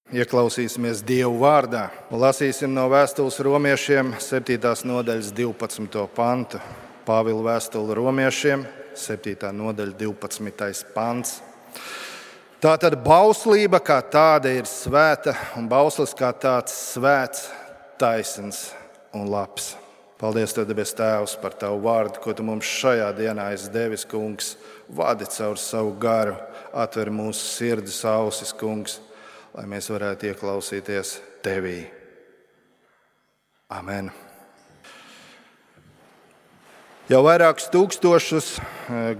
Ieklausīsimies Dievu vārdā un lasīsim no vēstules romiešiem 7. nodaļas 12. pantu. Pāvila vēstule romiešiem 7. nodaļa 12. pants. Tātad bauslība kā tāda ir svēta un bauslis kā tāds svēts, taisns un labs. Paldies, Tev, debes Tēvs, par Tavu vārdu, ko Tu mums šajā dienā esi devis, Kungs. Vadi caur savu garu, atver mūsu sirdis, ausis, Kungs, lai mēs varētu ieklausīties Tevī. Amen. Jau vairākus tūkstošus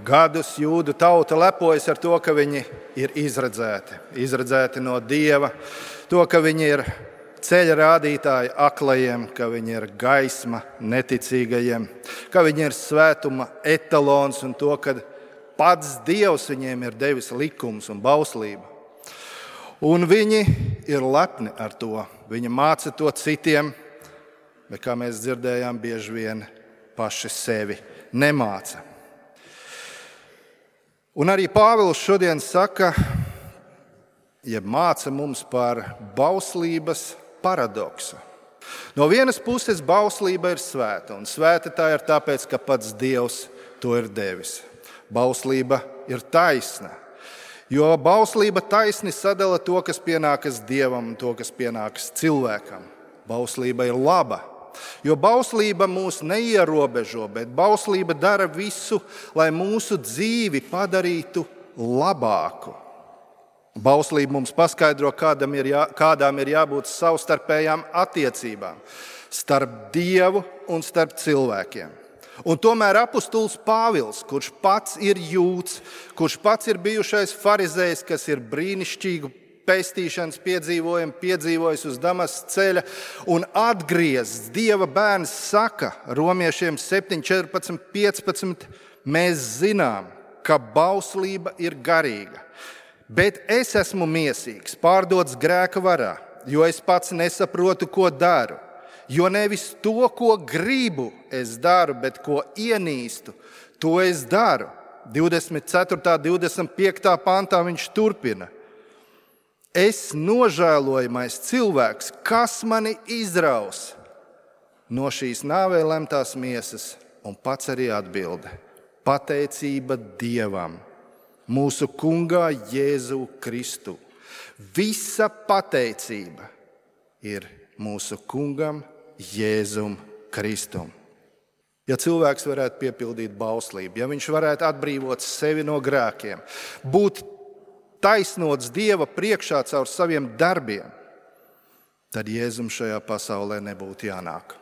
gadus jūdu tauta lepojas ar to, ka viņi ir izredzēti no Dieva, to, ka viņi ir ceļa rādītāji aklajiem, ka viņi ir gaisma neticīgajiem, ka viņi ir svētuma etalons un to, ka pats Dievs viņiem ir devis likums un bauslību. Un viņi ir lepni ar to. Viņi māca to citiem, bet, kā mēs dzirdējām, bieži vien paši sevi nemāca. Un arī Pāvils šodien saka, māca mums par bauslības paradoksu. No vienas puses bauslība ir svēta, un svēta tā ir tāpēc, ka pats Dievs to ir devis. Bauslība ir taisna. Jo bauslība taisni sadala to, kas pienākas Dievam, un to, kas pienākas cilvēkam. Bauslība ir laba, jo bauslība mūs neierobežo, bet bauslība dara visu, lai mūsu dzīvi padarītu labāku. Bauslība mums paskaidro, kādām ir jābūt savstarpējām attiecībām starp Dievu un starp cilvēkiem. Un tomēr apustulis Pāvils, kurš pats ir jūds, kurš pats ir bijušais farizējs, kas ir brīnišķīgu pestīšanas piedzīvojumu piedzīvojis uz Damaskas ceļa un atgriezts Dieva bērns, saka romiešiem 7, 14, 15, mēs zinām, ka bauslība ir garīga, bet es esmu miesīgs, pārdots grēka varā, jo es pats nesaprotu, ko daru. Jo nevis to, ko gribu, es daru, bet ko ienīstu, to es daru. 24. 25. pantā viņš turpina. Es nožēlojamais cilvēks, kas mani izraus no šīs nāvei lemtās miesas, un pats arī atbilde. Pateicība Dievam, mūsu kungā Jēzu Kristu. Visa pateicība ir mūsu kungam Jēzum Kristum. Ja cilvēks varētu piepildīt bauslību, ja viņš varētu atbrīvot sevi no grēkiem, būt taisnots Dieva priekšā caur saviem darbiem, tad Jēzum šajā pasaulē nebūtu jānāk.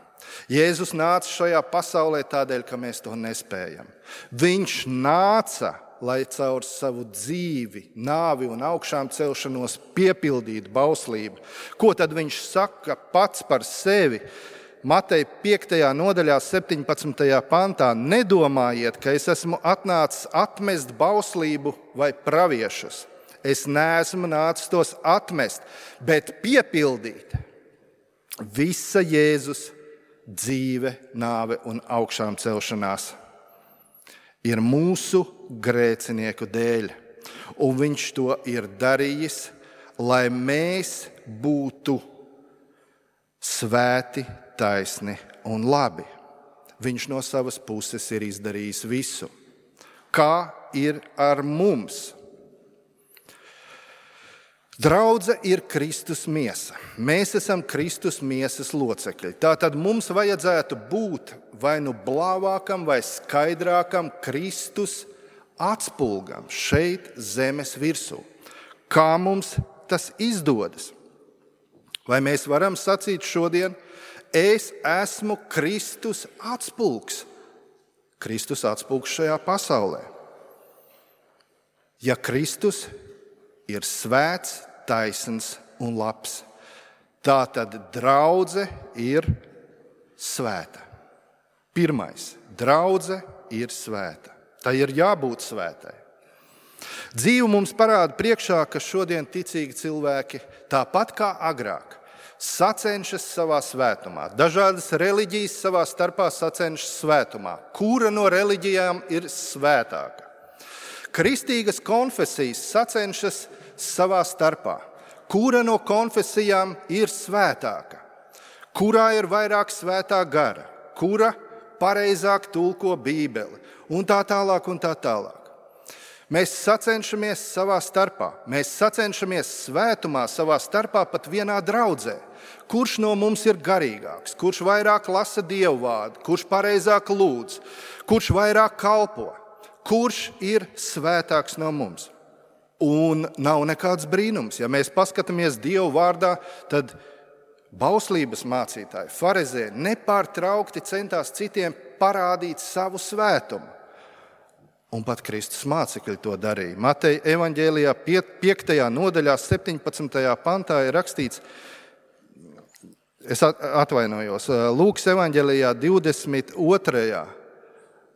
Jēzus nāca šajā pasaulē tādēļ, ka mēs to nespējam. Viņš nāca, lai caur savu dzīvi, nāvi un augšām celšanos piepildītu bauslību. Ko tad viņš saka pats par sevi? Mateja 5. nodaļā 17. pantā. Nedomājiet, ka es esmu atnācis atmest bauslību vai praviešus. Es neesmu nācis tos atmest, bet piepildīt. Visa Jēzus dzīve, nāve un augšām celšanās ir mūsu grēcinieku dēļ, un viņš to ir darījis, lai mēs būtu svēti, taisni un labi. Viņš no savas puses ir izdarījis visu. Kā ir ar mums? Draudze ir Kristus miesa. Mēs esam Kristus miesas locekļi. Tātad mums vajadzētu būt vai nu blāvākam vai skaidrākam Kristus atspulgam šeit zemes virsū. Kā mums tas izdodas? Vai mēs varam sacīt šodien, es esmu Kristus atspulgs? Kristus atspulgs šajā pasaulē. Ja Kristus ir svēts, taisns un labs, tā tad draudze ir svēta. Pirmais, draudze ir svēta. Tā ir jābūt svētai. Dzīve mums parāda priekšā, ka šodien ticīgi cilvēki, tāpat kā agrāk, sacenšas savā svētumā. Dažādas reliģijas savā starpā sacenšas svētumā. Kura no reliģijām ir svētāka? Kristīgas konfesijas sacenšas savā starpā. kura no konfesijām ir svētāka, kurā ir vairāk svētā gara, kura pareizāk tulko Bībeli un tā tālāk un tā tālāk. Mēs sacenšamies savā starpā, mēs sacenšamies svētumā savā starpā pat vienā draudzē. Kurš no mums ir garīgāks, kurš vairāk lasa Dievu vārdu, kurš pareizāk lūdz, kurš vairāk kalpo, kurš ir svētāks no mums. Un nav nekāds brīnums, ja mēs paskatāmies Dievu vārdā, tad bauslības mācītāji, farizēji nepārtraukti centās citiem parādīt savu svētumu. Un pat Kristus mācekļi to darīja. Mateja evaņģēlijā 5. nodaļā 17. pantā ir rakstīts, es atvainojos, Lūkas evaņģēlijā 22.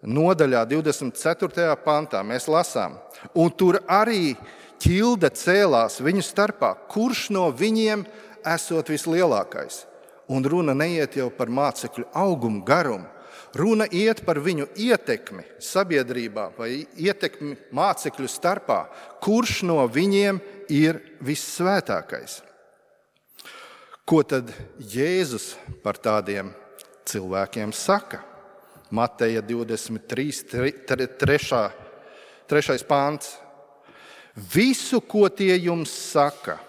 nodaļā 24. pantā mēs lasām. Un tur arī ķilde cēlās viņu starpā, kurš no viņiem esot vislielākais. Un runa neiet jau par mācekļu augumu, garumu. Runa iet par viņu ietekmi sabiedrībā vai ietekmi mācekļu starpā, kurš no viņiem ir vissvētākais. Ko tad Jēzus par tādiem cilvēkiem saka? Mateja 23. 3. pāns. Visu, ko tie jums saka,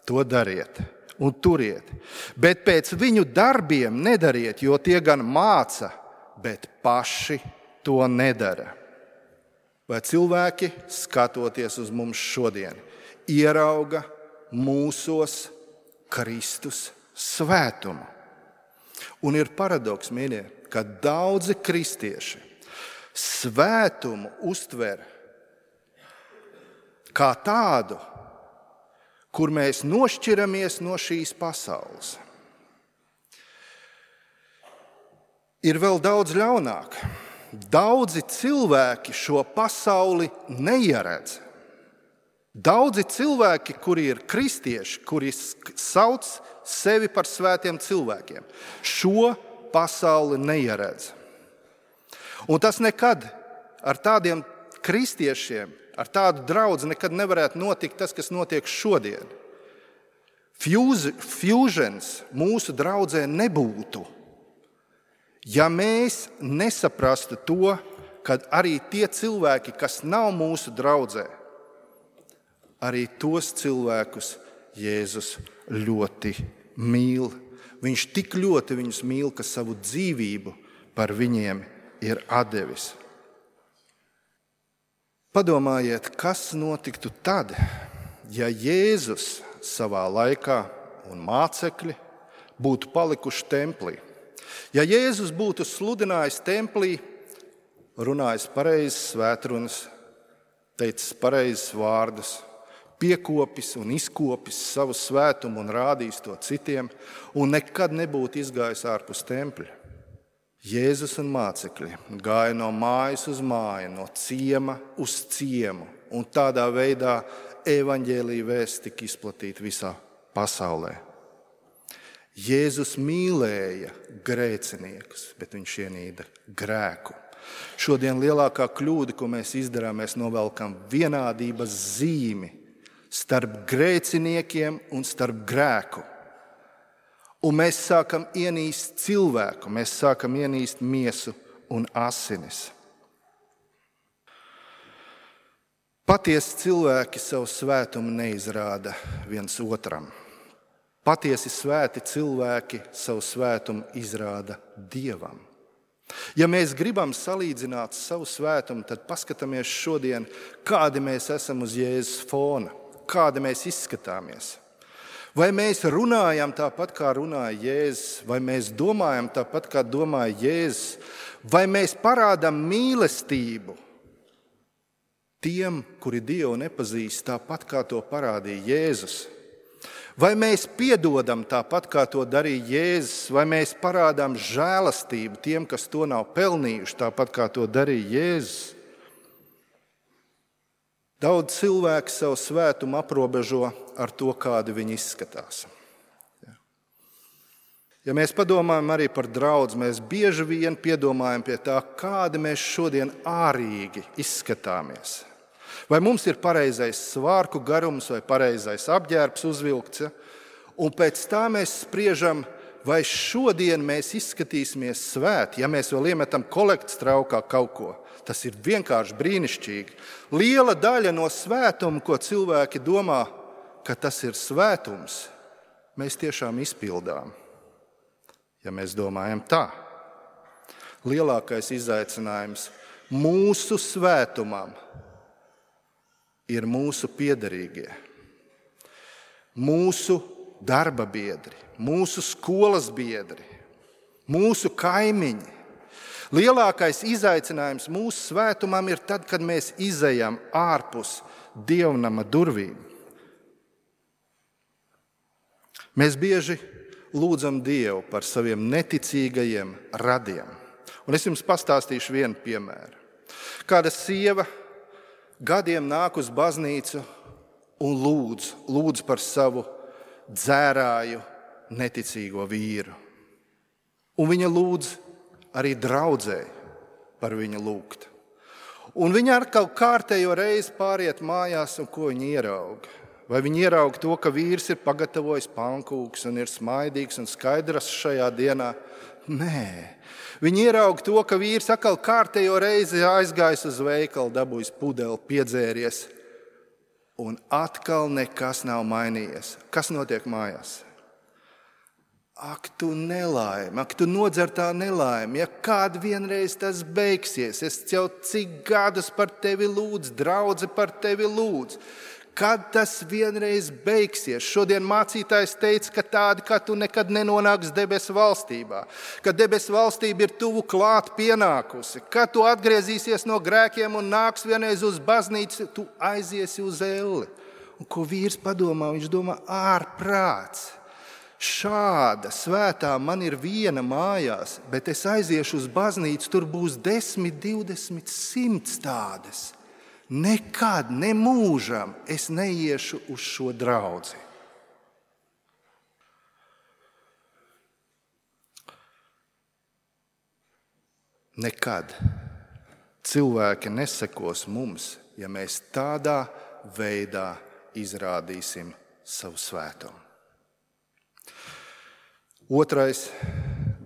to dariet un turiet, bet pēc viņu darbiem nedariet, jo tie gan māca, bet paši to nedara. Vai cilvēki, skatoties uz mums šodien, ierauga mūsos Kristus svētumu? Un ir paradoks, mīļie, ka daudzi kristieši svētumu uztver kā tādu, kur mēs nošķiramies no šīs pasaules. Ir vēl daudz ļaunāk. Daudzi cilvēki šo pasauli neieredz. Daudzi cilvēki, kuri ir kristieši, kuri sauc sevi par svētiem cilvēkiem, šo pasauli neieredz. Un tas nekad ar tādiem kristiešiem, ar tādu draudzi nekad nevarētu notikt tas, kas notiek šodien. Fusions mūsu draudzē nebūtu, ja mēs nesaprastu to, ka arī tie cilvēki, kas nav mūsu draudzē, arī tos cilvēkus Jēzus ļoti mīl. Viņš tik ļoti viņus mīl, ka savu dzīvību par viņiem ir atdevis. Padomājiet, kas notiktu tad, ja Jēzus savā laikā un mācekļi būtu palikuši templī. Ja Jēzus būtu sludinājis templī, runājis pareizes svētrunas, teicis pareizes vārdus, piekopis un izkopis savu svētumu un rādījis to citiem, un nekad nebūtu izgājis ārpus tempļa. Jēzus un mācekļi gāja no mājas uz māju, no ciema uz ciemu, un tādā veidā evaņģēlija vēsts tika izplatīta visā pasaulē. Jēzus mīlēja grēciniekus, bet viņš ienīda grēku. Šodien lielākā kļūda, ko mēs izdarām, mēs novelkam vienādības zīmi starp grēciniekiem un starp grēku. Un mēs sākam ienīst cilvēku, mēs sākam ienīst miesu un asinis. Patiesi cilvēki savu svētumu neizrāda viens otram. Patiesi svēti cilvēki savu svētumu izrāda Dievam. Ja mēs gribam salīdzināt savu svētumu, tad paskatāmies šodien, kādi mēs esam uz Jēzus fona, kādi mēs izskatāmies. Vai mēs runājam tāpat, kā runāja Jēzus, vai mēs domājam tāpat, kā domāja Jēzus, vai mēs parādām mīlestību tiem, kuri Dievu nepazīst, tāpat, kā to parādīja Jēzus. Vai mēs piedodam tāpat, kā to darīja Jēzus, vai mēs parādām žēlastību tiem, kas to nav pelnījuši, tāpat, kā to darīja Jēzus? Daudz cilvēku savu svētumu aprobežo ar to, kādi viņi izskatās. Ja mēs padomājam arī par draudzi, mēs bieži vien piedomājam pie tā, kādi mēs šodien ārīgi izskatāmies. Vai mums ir pareizais svārku garums vai pareizais apģērbs uzvilkts? Ja? Un pēc tā mēs spriežam, vai šodien mēs izskatīsimies svēti, ja mēs vēl iemetam kolektas traukā kaut ko. Tas ir vienkārši brīnišķīgi. Liela daļa no svētuma, ko cilvēki domā, ka tas ir svētums, mēs tiešām izpildām. Ja mēs domājam tā, lielākais izaicinājums mūsu svētumam ir mūsu piederīgie, mūsu darba biedri, mūsu skolas biedri, mūsu kaimiņi. Lielākais izaicinājums mūsu svētumam ir tad, kad mēs izejam ārpus dievnama durvīm. Mēs bieži lūdzam Dievu par saviem neticīgajiem radiem. Un es jums pastāstīšu vienu piemēru. Kāda sieva gadiem nāk uz baznīcu un lūdz par savu dzērāju, neticīgo vīru. Un viņa lūdz arī draudzēji par viņu lūgt. Un viņa ar kaut kārtējo reizi pāriet mājās, un ko viņa ierauga? Vai viņa ierauga to, ka vīrs ir pagatavojis pankūks un ir smaidīgs un skaidrs šajā dienā? Nē. Viņa ierauga to, ka vīrs atkal kārtējo reizi aizgājis uz veikalu, dabūjis pudeli, piedzēries. Un atkal nekas nav mainījies. Kas notiek mājās? Ak, tu nelaime, ak, tu nodzertā nelaime. Ja kād vienreiz tas beigsies, es jau cik gadus par tevi lūdzu, draudze par tevi lūdzu. Kad tas vienreiz beigsies? Šodien mācītājs teica, ka tādi, kā tu nekad nenonāks debesu valstībā. Ka debesu valstība ir tuvu klāt pienākusi. Kad tu atgriezīsies no grēkiem un nāks vienreiz uz baznīcu, tu aiziesi uz elli. Un ko vīrs padomā? Viņš domā, ārprāts. Šāda svētā man ir viena mājās, bet es aiziešu uz baznīcu, tur būs 10, 20, 100 tādas. Nekad, ne mūžam es neiešu uz šo draudzi. Nekad cilvēki nesekos mums, ja mēs tādā veidā izrādīsim savu svētumu. Otrais,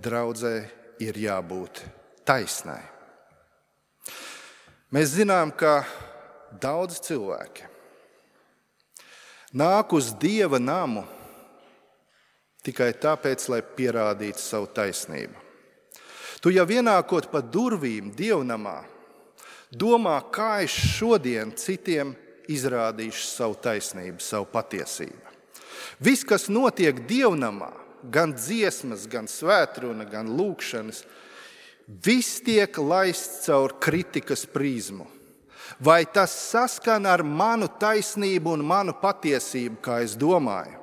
draudzē ir jābūt taisnai. Mēs zinām, ka daudz cilvēki nāk uz Dieva namu tikai tāpēc, lai pierādītu savu taisnību. Tu jau ienākot pa durvīm dievnamā, domā, kā es šodien citiem izrādīšu savu taisnību, savu patiesību. Viss, kas notiek dievnamā, gan dziesmas, gan svētruna, gan lūkšanas, viss tiek laists caur kritikas prizmu. Vai tas saskan ar manu taisnību un manu patiesību, kā es domāju,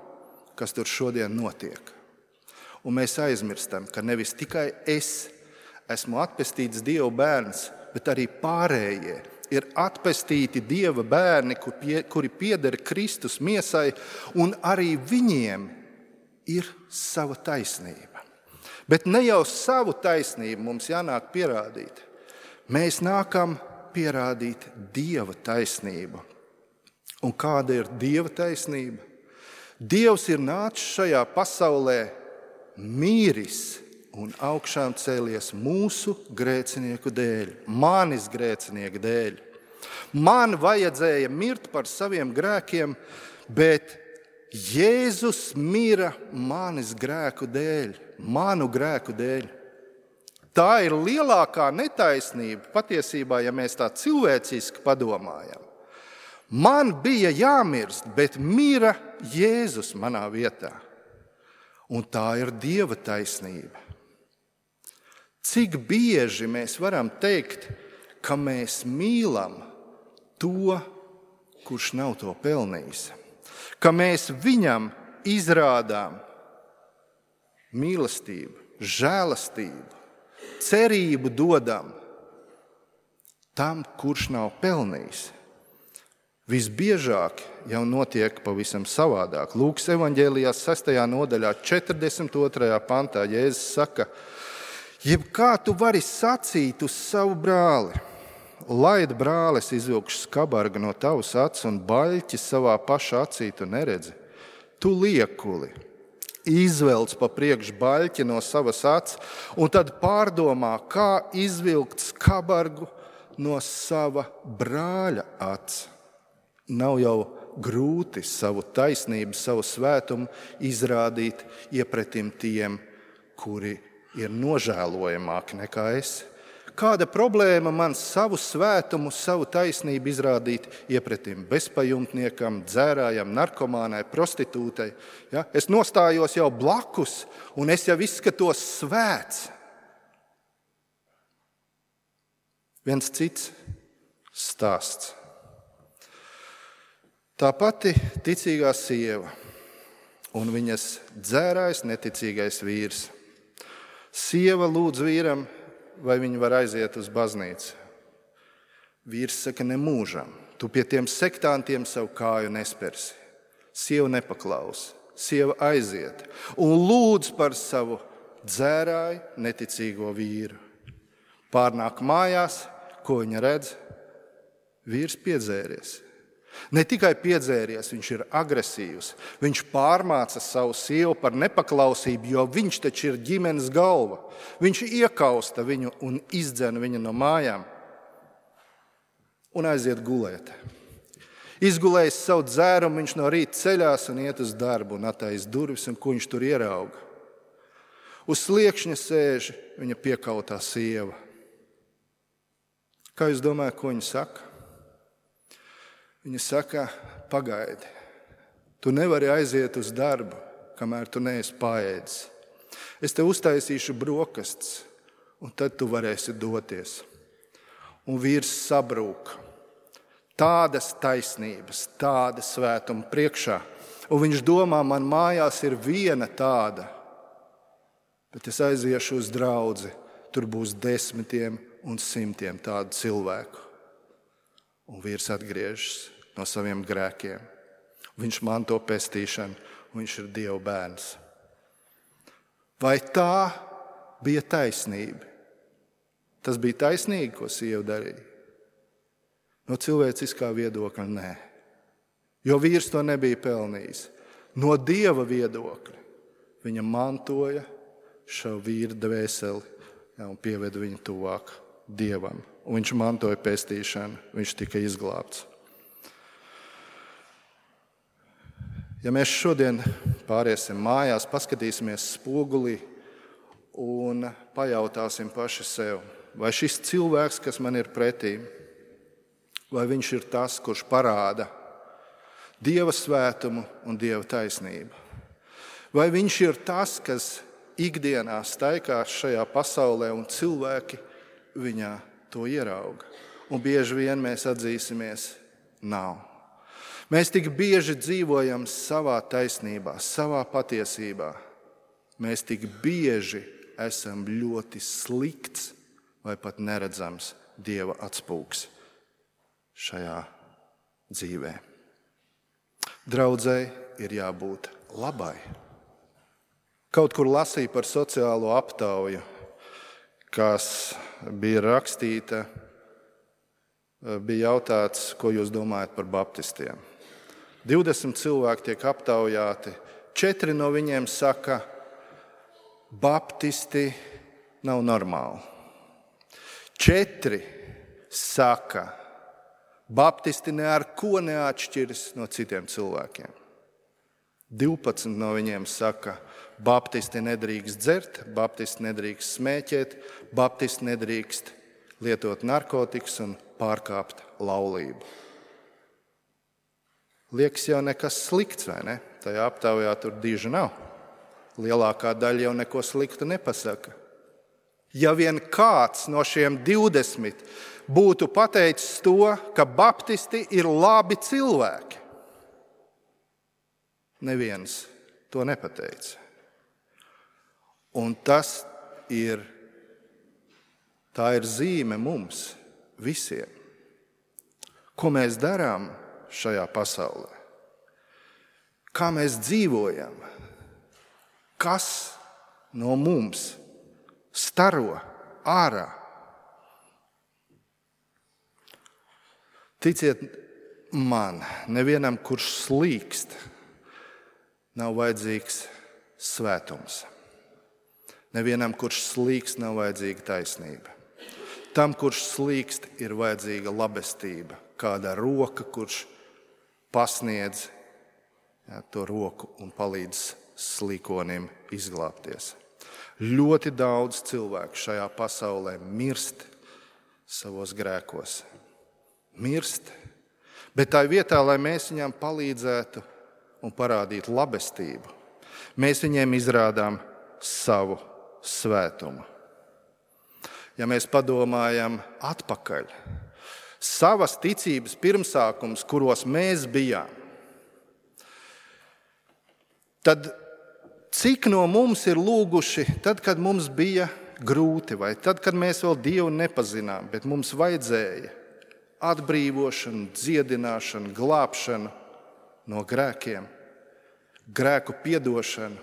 kas tur šodien notiek? Un mēs aizmirstam, ka nevis tikai es esmu atpestīts Dieva bērns, bet arī pārējie ir atpestīti Dieva bērni, kuri pieder Kristus miesai, un arī viņiem ir sava taisnība. Bet ne jau savu taisnību mums jānāk pierādīt. Mēs nākam pierādīt Dieva taisnību. Un kāda ir Dieva taisnība? Dievs ir nācis šajā pasaulē, mīris un augšām cēlies mūsu grēcinieku dēļ, manis grēcinieku dēļ. Man vajadzēja mirt par saviem grēkiem, bet Jēzus mira manis grēku dēļ, manu grēku dēļ. Tā ir lielākā netaisnība patiesībā, ja mēs tā cilvēciski padomājam. Man bija jāmirst, bet mira Jēzus manā vietā. Un tā ir Dieva taisnība. Cik bieži mēs varam teikt, ka mēs mīlam to, kurš nav to pelnījis? Ka mēs viņam izrādām mīlestību, žēlastību, cerību dodam tam, kurš nav pelnījis. Visbiežāk jau notiek pavisam savādāk. Lūkas evaņģēlijā 6. nodaļā 42. pantā Jēzus saka, jebkā tu vari sacīt uz savu brāli, Laid, brālis, izvilkšu skabargu no tavas acis un baļķi savā paša acī tu neredzi. Tu liekuli, izvelc pa priekšu baļķi no savas acis un tad pārdomā, kā izvilkt skabargu no sava brāļa acis. Nav jau grūti savu taisnību, savu svētumu izrādīt iepretim tiem, kuri ir nožēlojamāki nekā es. Kāda problēma man savu svētumu, savu taisnību izrādīt iepretim bezpajumtniekam, dzērājam, narkomānai, prostitūtei? Ja? Es nostājos jau blakus un es jau izskatos svēts. Viens cits stāsts. Tā pati ticīgā sieva un viņas dzērājs neticīgais vīrs. Sieva lūdz vīram, vai viņi var aiziet uz baznīcu. Vīrs saka, nemūžam, tu pie tiem sektantiem savu kāju nespersi. Sieva nepaklaus, sieva aiziet un lūdz par savu dzērāju neticīgo vīru. Pārnāk mājās, ko viņa redz? Vīrs piedzēries. Ne tikai piedzēries, viņš ir agresīvs. Viņš pārmāca savu sievu par nepaklausību, jo viņš taču ir ģimenes galva. Viņš iekausta viņu un izdzen viņu no mājām un aiziet gulēt. Izgulējis savu dzērumu, viņš no rīta ceļās un iet uz darbu un attaisa durvis, un ko viņš tur ierauga. Uz sliekšņa sēž viņa piekautā sieva. Kā jūs domājat, ko viņa saka? Viņa saka, pagaidi, tu nevari aiziet uz darbu, kamēr tu neesi paēdis. Es tev uztaisīšu brokastis, un tad tu varēsi doties. Un vīrs sabrūk. Tādas taisnības, tāda svētuma priekšā. Un viņš domā, man mājās ir viena tāda, bet es aiziešu uz draudzi, tur būs 10 un 100 tādu cilvēku. Un vīrs atgriežas no saviem grēkiem. Viņš manto pestīšanu, un viņš ir Dieva bērns. Vai tā bija taisnība? Tas bija taisnīgi, ko sieva darīja? No cilvēciskā viedokļa nē, jo vīrs to nebija pelnījis. No Dieva viedokļa viņa mantoja šo vīru dvēseli un pieveda viņu tuvāk Dievam. Un viņš mantoja pestīšanu, viņš tika izglābts. Ja mēs šodien pāriesim mājās, paskatīsimies spogulī un pajautāsim paši sev, vai šis cilvēks, kas man ir pretī, vai viņš ir tas, kurš parāda Dieva svētumu un Dieva taisnību? Vai viņš ir tas, kas ikdienā staigā šajā pasaulē un cilvēki viņā to ierauga? Un bieži vien mēs atzīsimies, nav. Mēs tik bieži dzīvojam savā taisnībā, savā patiesībā. Mēs tik bieži esam ļoti slikts vai pat neredzams Dieva atspūgs šajā dzīvē. Draudzei ir jābūt labai. Kaut kur lasīju par sociālo aptauju, kas bija rakstīta, bija jautāts, ko jūs domājat par baptistiem. 20 cilvēki tiek aptaujāti, 4 no viņiem saka, baptisti nav normāli. 4 saka, baptisti ne ar ko neatšķiras no citiem cilvēkiem. 12 no viņiem saka, baptisti nedrīkst dzert, baptisti nedrīkst smēķēt, baptisti nedrīkst lietot narkotikas un pārkāpt laulību. Liekas jau nekas slikts, vai ne? Tajā aptaujā tur diži nav. Lielākā daļa jau neko sliktu nepasaka. Ja vien kāds no šiem 20 būtu pateicis to, ka baptisti ir labi cilvēki, neviens to nepateica. Un tā ir zīme mums visiem. Ko mēs darām šajā pasaulē? Kā mēs dzīvojam? Kas no mums staro ārā? Ticiet man, nevienam, kurš slīkst, nav vajadzīgs svētums. Nevienam, kurš slīkst, nav vajadzīga taisnība. Tam, kurš slīkst, ir vajadzīga labestība. Kāda roka, kurš pasniedz to roku un palīdz slīkonim izglābties. Ļoti daudz cilvēku šajā pasaulē mirst savos grēkos. Mirst, bet tā vietā, lai mēs viņam palīdzētu un parādītu labestību, mēs viņiem izrādām savu svētumu. Ja mēs padomājam atpakaļ, savas ticības pirmsākums, kuros mēs bijām, tad cik no mums ir lūguši tad, kad mums bija grūti, vai tad, kad mēs vēl Dievu nepazinām, bet mums vajadzēja atbrīvošanu, dziedināšanu, glābšanu no grēkiem, grēku piedošanu.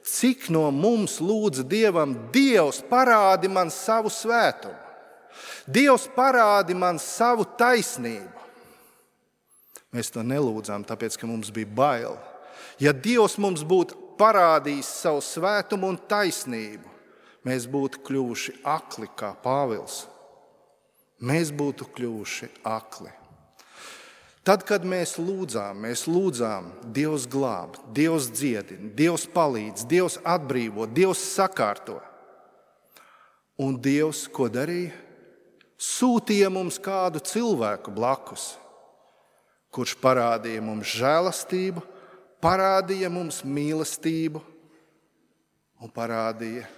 Cik no mums lūdza Dievam, Dievs parādi man savu svētumu, Dievs parādi man savu taisnību. Mēs to nelūdzām, tāpēc, ka mums bija bail. Ja Dievs mums būtu parādījis savu svētumu un taisnību, mēs būtu kļuvuši akli kā Pāvils. Mēs būtu kļuvuši akli. Tad, kad mēs lūdzām, Dievs glāb, Dievs dziedina, Dievs palīdz, Dievs atbrīvo, Dievs sakārto. Un Dievs, ko darīja? Sūtīja mums kādu cilvēku blakus, kurš parādīja mums žēlastību, parādīja mums mīlestību un parādīja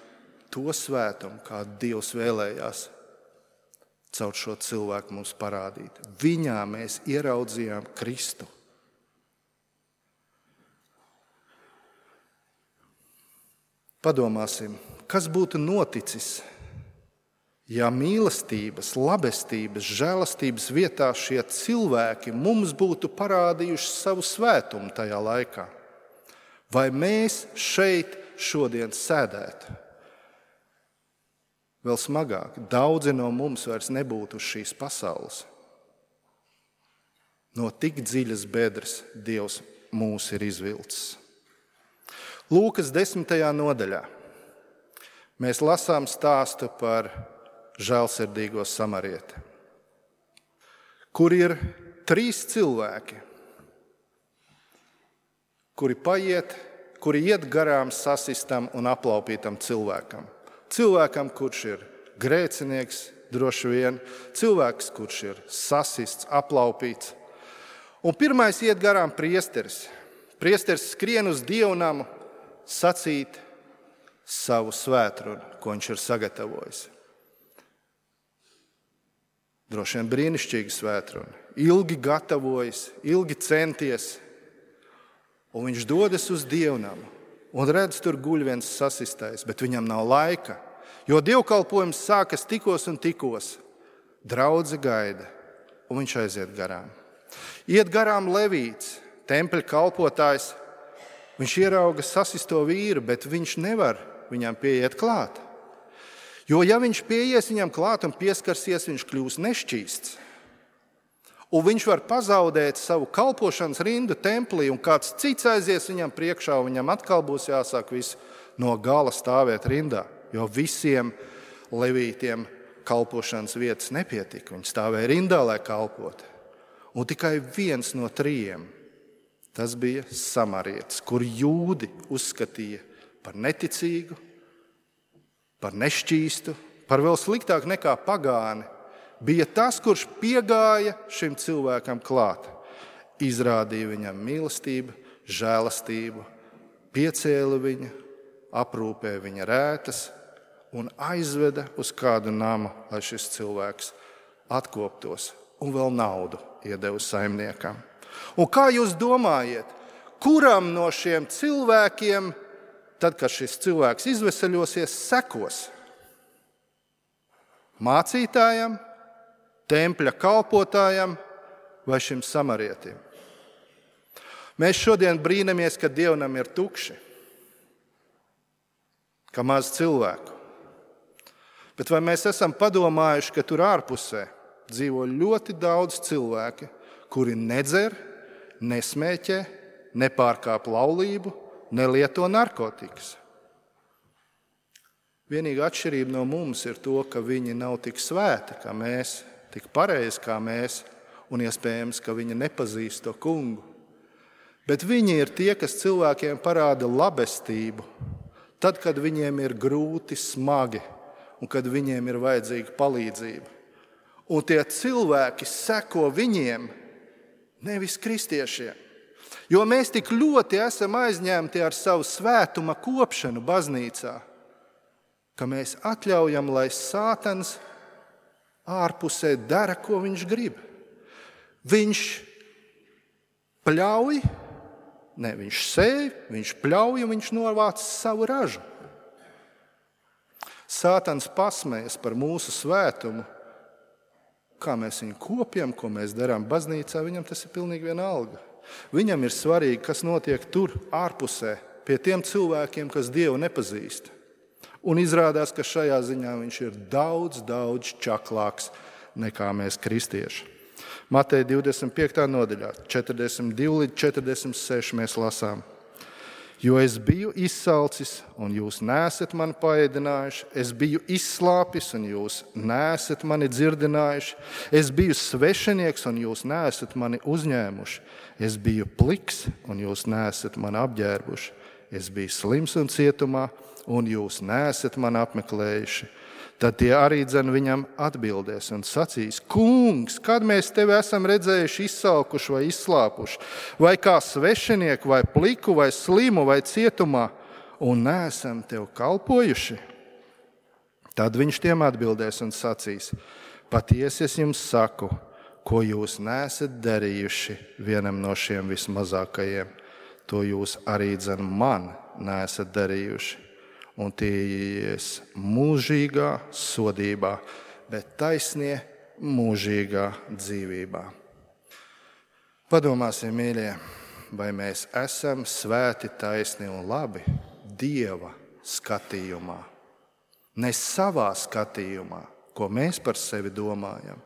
to svētumu, kādu Dievs vēlējās caur šo cilvēku mums parādīt. Viņā mēs ieraudzījām Kristu. Padomāsim, kas būtu noticis, ja mīlestības, labestības, žēlastības vietā šie cilvēki mums būtu parādījuši savu svētumu tajā laikā? Vai mēs šeit šodien sēdētu? Vēl smagāk, daudzi no mums vairs nebūtu uz šīs pasaules. No tik dziļas bedres Dievs mūs ir izvilcis. Lūkas 10. nodaļā mēs lasām stāstu par žēlsirdīgo samarieti, kur ir 3 cilvēki, kuri iet garām sasistam un aplaupītam cilvēkam. Cilvēkam, kurš ir grēcinieks, droši vien, cilvēks, kurš ir sasists, aplaupīts. Un pirmais iet garām priesteris. Priesteris skrien uz dievnamu sacīt savu svētrunu, ko viņš ir sagatavojis. Droši vien brīnišķīga svētruna. Ilgi gatavojas, ilgi centies, un viņš dodas uz dievnamu. Un redz, tur guļ viens sasistais, bet viņam nav laika, jo dievkalpojums sākas tikos un tikos. Draudze gaida, un viņš aiziet garām. Iet garām Levīts, tempļa kalpotājs. Viņš ierauga sasisto vīru, bet viņš nevar viņam pieiet klāt. Jo ja viņš pieies viņam klāt un pieskarsies, viņš kļūs nešķīsts. Un viņš var pazaudēt savu kalpošanas rindu templī, un kāds cits aizies viņam priekšā, un viņam atkal būs jāsāk viss no gala stāvēt rindā, jo visiem levītiem kalpošanas vietas nepietika. Viņi stāvēja rindā, lai kalpotu. Un tikai viens no 3, tas bija samarietis, kur jūdi uzskatīja par neticīgu, par nešķīstu, par vēl sliktāk nekā pagāni. Bija tas, kurš piegāja šim cilvēkam klāt, izrādīja viņam mīlestību, žēlastību, piecēla viņu, aprūpēja viņa rētas un aizveda uz kādu namu, lai šis cilvēks atkoptos, un vēl naudu iedeva saimniekam. Un kā jūs domājat, kuram no šiem cilvēkiem, tad, kad šis cilvēks izveseļosies, sekos? Mācītājam, tempļa kalpotājam vai šim samarietim? Mēs šodien brīnamies, ka dievnam ir tukši, ka maz cilvēku. Bet vai mēs esam padomājuši, ka tur ārpusē dzīvo ļoti daudz cilvēki, kuri nedzer, nesmēķē, nepārkāp laulību, nelieto narkotikas. Vienīgā atšķirība no mums ir to, ka viņi nav tik svēti kā mēs, tik pareizi kā mēs, un iespējams, ka viņi nepazīst to kungu. Bet viņi ir tie, kas cilvēkiem parāda labestību, tad, kad viņiem ir grūti, smagi, un kad viņiem ir vajadzīga palīdzība. Un tie cilvēki seko viņiem, nevis kristiešiem. Jo mēs tik ļoti esam aizņemti ar savu svētuma kopšanu baznīcā, ka mēs atļaujam, lai Sātans ārpusē dara, ko viņš grib. Viņš pļauj, viņš sēj, viņš pļauj un viņš novāc savu ražu. Sātans pasmējas par mūsu svētumu, kā mēs viņu kopjam, ko mēs darām baznīcā, viņam tas ir pilnīgi vienalga. Viņam ir svarīgi, kas notiek tur ārpusē, pie tiem cilvēkiem, kas Dievu nepazīst. Un izrādās, ka šajā ziņā viņš ir daudz, daudz čaklāks nekā mēs kristieši. Mateja 25. nodaļā, 42 līdz 46 mēs lasām. Jo es biju izsalcis, un jūs neesat mani paēdinājuši, es biju izslāpis, un jūs neesat mani dzirdinājuši, es biju svešinieks, un jūs neesat mani uzņēmuši, es biju pliks, un jūs neesat mani apģērbuši, es biju slims un cietumā, un jūs neesat mani apmeklējuši. Tad tie arī viņam atbildēs un sacīs: Kungs, kad mēs tevi esam redzējuši izsalkuši vai izslāpuši, vai kā svešinieku, vai pliku, vai slimu, vai cietumā, un neesam tev kalpojuši? Tad viņš tiem atbildēs un sacīs: Patiesi es jums saku, ko jūs neesat darījuši vienam no šiem vismazākajiem, to jūs arī man neesat darījuši. Un tie ies mūžīgā sodībā, bet taisnie mūžīgā dzīvībā. Padomāsim, mīļie, vai mēs esam svēti, taisni un labi Dieva skatījumā. Ne savā skatījumā, ko mēs par sevi domājam,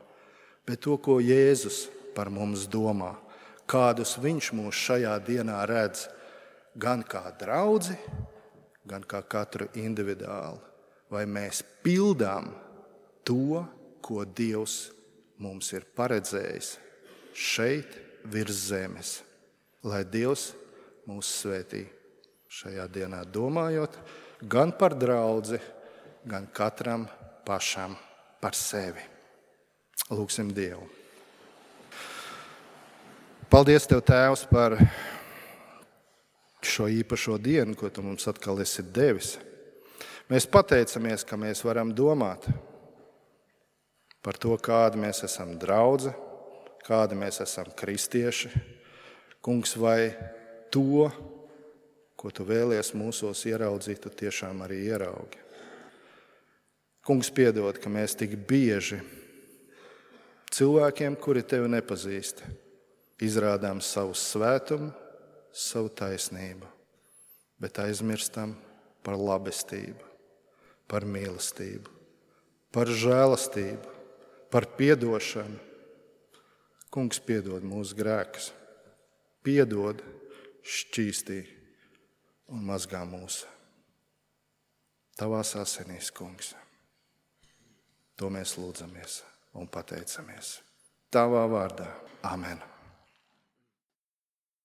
bet to, ko Jēzus par mums domā, kādus viņš mūs šajā dienā redz, gan kā draudzi, gan kā katru individuāli, vai mēs pildām to, ko Dievs mums ir paredzējis šeit virs zemes. Lai Dievs mūs svētī šajā dienā domājot gan par draudzi, gan katram pašam par sevi. Lūksim Dievu. Paldies Tev, Tēvs, par šo īpašo dienu, ko Tu mums atkal esi devis. Mēs pateicamies, ka mēs varam domāt par to, kādi mēs esam draudze, kādi mēs esam kristieši. Kungs, vai to, ko Tu vēlies mūsos ieraudzīt, Tu tiešām arī ieraugi. Kungs, piedod, ka mēs tik bieži cilvēkiem, kuri Tevi nepazīst, izrādām savu svētumu, savu taisnību, bet aizmirstam par labestību, par mīlestību, par žēlastību, par piedošanu. Kungs, piedod mūsu grēkus, piedod, šķīstī un mazgā mūs Tavās asinīs, Kungs. To mēs lūdzamies un pateicamies Tavā vārdā. Amen.